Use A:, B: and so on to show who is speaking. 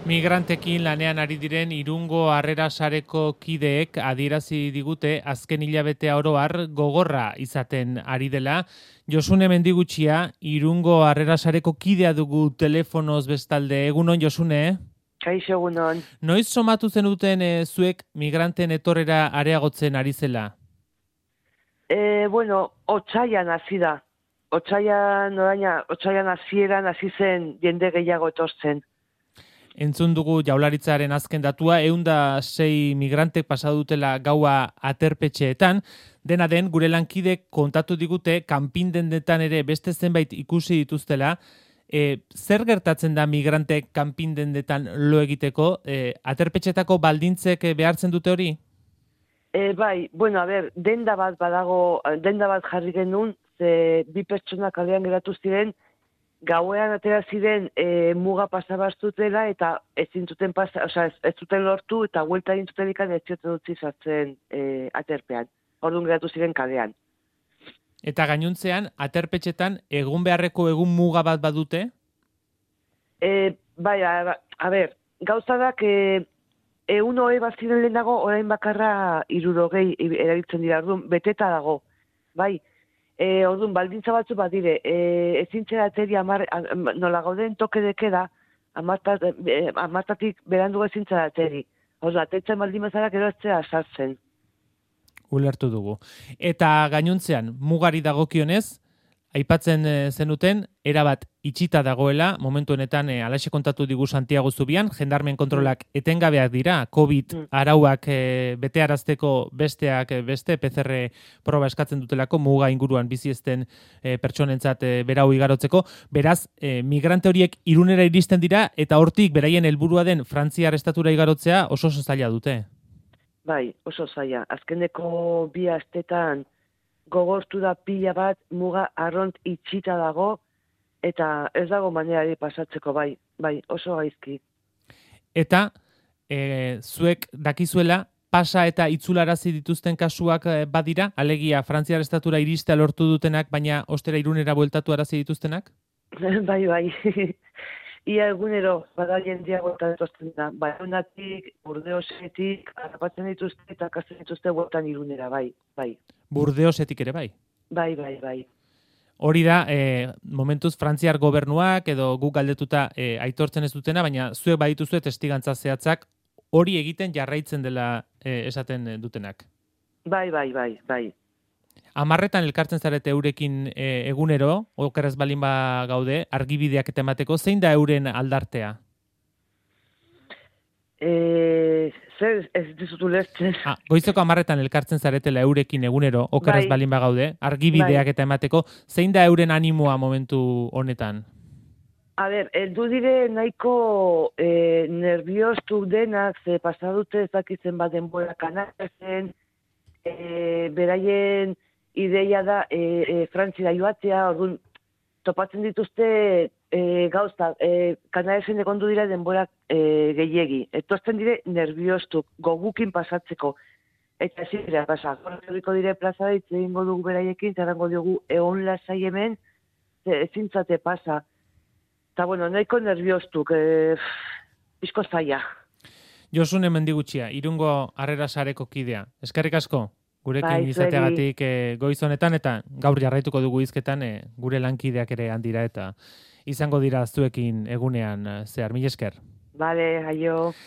A: Migrantekin lanean ari diren Irungo Harrera Sareko kideek adierazi digute azken hilabetea oro har gogorra izaten ari dela. Josune Mendigutxia, Irungo Harrera Sareko kidea dugu telefonoz bestalde. Egunon, Josune?
B: Kaixo, egunon.
A: Noiz somatu zenuten zuek migranten etorrera areagotzen ari zela?
B: Otsaian hasi da. Otsaian hasieran hasi zen jende gehiago etortzen.
A: Entzun dugu Jaurlaritzaren azken datua, 106 migrantek pasa dutela gaua aterpetxeetan. Dena den, gure lankidek kontatu digute, kanpindendetan ere beste zenbait ikusi dituztela. Zer gertatzen da migrantek kanpindendetan lo egiteko? Aterpetxetako baldintzek behartzen dute hori?
B: Denda bat jarri genuen, ze bi pertsona kalean geratu ziren, gauean atera ziren muga pasabaztutela eta ez zuten lortu eta huelta egin zuten ikan ez zioten dutzi sartzen aterpean. Orduan geratu ziren kalean.
A: Eta gainuntzean, aterpetxetan egun beharreko egun muga bat badute?
B: Gauzadak egun hori bat ziren lehenago, orain bakarra 60 erabiltzen dira, orduan beteta dago. Orduan, baldintza batzu bat dire, ezintzera ateri nola gauden toke dekeda, amartatik berandu ezintzera ateri. Orduan, atetzen baldin bezala gero ez sartzen.
A: Ulertu dugu. Eta gainuntzean, mugari dagokionez, aipatzen zenuten, erabat itxita dagoela, momentu honetan alaxe kontatu digu Santiago Zubian, jendarmen kontrolak etengabeak dira, COVID arauak betearazteko beste PCR proba eskatzen dutelako, muga inguruan bizi ezten pertsonentzat berau igarotzeko. Beraz, migrante horiek Irunera iristen dira, eta hortik beraien helburua den Frantziar estatura igarotzea oso zaila dute.
B: Bai, oso zaila. Azkeneko 2 astetan gogortu da pila bat, muga arront itxita dago, eta ez dago manerari pasatzeko, bai, oso gaizki.
A: Eta, zuek dakizuela, pasa eta itzularazi dituzten kasuak badira, alegia Frantziar estatura iristea lortu dutenak, baina ostera Irunera bueltatu arazi dituztenak?
B: Bai. Ia egunero, bada jendia bueltan dituzten da. Baionatik, Burdeosetik, harrapatzen dituzte eta kasten dituzte bueltan Irunera, bai.
A: Burdeosetik ere bai?
B: Bai.
A: Hori da, momentuz Frantziar gobernuak edo guk galdetuta aitortzen ez dutena, baina zuek badituzue testigantza zehatzak hori egiten jarraitzen dela esaten dutenak.
B: Bai.
A: 10etan elkartzen zarete eurekin egunero, okeraz balin gaude, argibideak eta emateko, zein da euren aldartea?
B: Zer ez dizut ulertzen.
A: Goizeko 10etan elkartzen zaretela eurekin egunero, okeraz balin gaude, argibideak eta emateko, zein da euren animoa momentu honetan?
B: Eldu dire nahiko nerviostu denak, ze pasadute ezakitzen bat denbora kanaren, beraien ideia da Frantzira joatzea, orduan topatzen dituzte gauza, Kanaresen egondu dira denborak gehiegi. Etortzen dire nerviostuk, gogukin pasatzeko. Eta ezin dira pasa. Horriko dire plaza ditze egingo dugu beraiekin, zerrango diogu egon lasai hemen, ezintzate pasa. Eta nahiko nerviostuk, pizko zaila.
A: Josune Mendigutxia, Irungo Harrera Sareko kidea. Eskerrik asko? Gurekin izateagatik goiz honetan eta gaur jarraituko dugu hizketan gure lankideak ere handira eta izango dira zuekin egunean zehar. Mila esker.
B: Bale, aio.